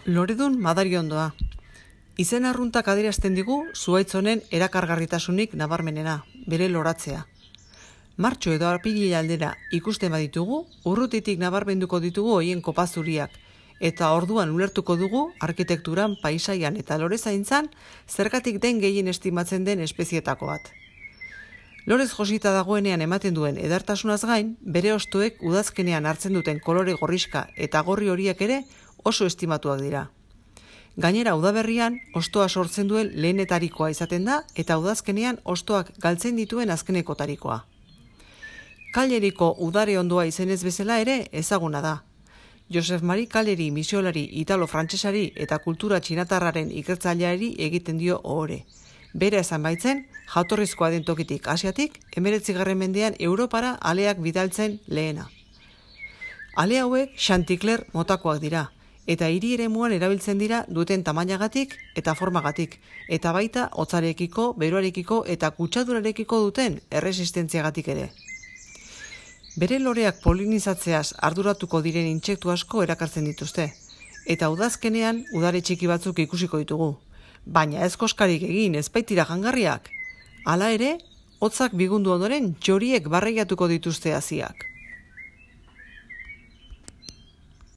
Loredun madariondoa. Izen arruntak adierazten digu zuhaitz honen erakargarritasunik nabarmenena, bere loratzea. Martxo edo apirila aldera ikusten baditugu, urrutitik nabarmenduko ditugu hoien kopazuriak, eta orduan ulertuko dugu arkitekturan, paisaian eta lorezaintzan zergatik den gehien estimatzen den espezietako bat. Lorez josita dagoenean ematen duen edartasunaz gain, bere hostoek udazkenean hartzen duten kolore gorriska eta gorri horiek ere oso estimatuak dira. Gainera udaberrian, hostoa sortzen duen lehenetarikoa izaten da eta udazkenean hostoak galtzen dituen azkenekotarikoa. Kaleriko udare ondoa izenez bezala ere ezaguna da. Josef Mari Kaleri misiolari italo-frantsesari eta kultura txinatarraren ikertzaileari egiten dio ohore. Bera esan baitzen, jatorrizkoa den tokitik Asiatik, 19. mendean Europara aleak bidaltzen lehena. Ale hauek Chanticleer motakoak dira, eta hiri eremuan erabiltzen dira duten tamainagatik eta formagatik, eta baita hotzarekiko, beroarekiko eta kutsadurarekiko duten erresistentziagatik ere. Bere loreak polinizatzeaz arduratuko diren intsektu asko erakartzen dituzte, eta udazkenean udare txiki batzuk ikusiko ditugu. Baina ez koskarik egin ez baitira jangarriak. Hala ere, hotzak bigundu ondoren txoriek barreiatuko dituzte haziak.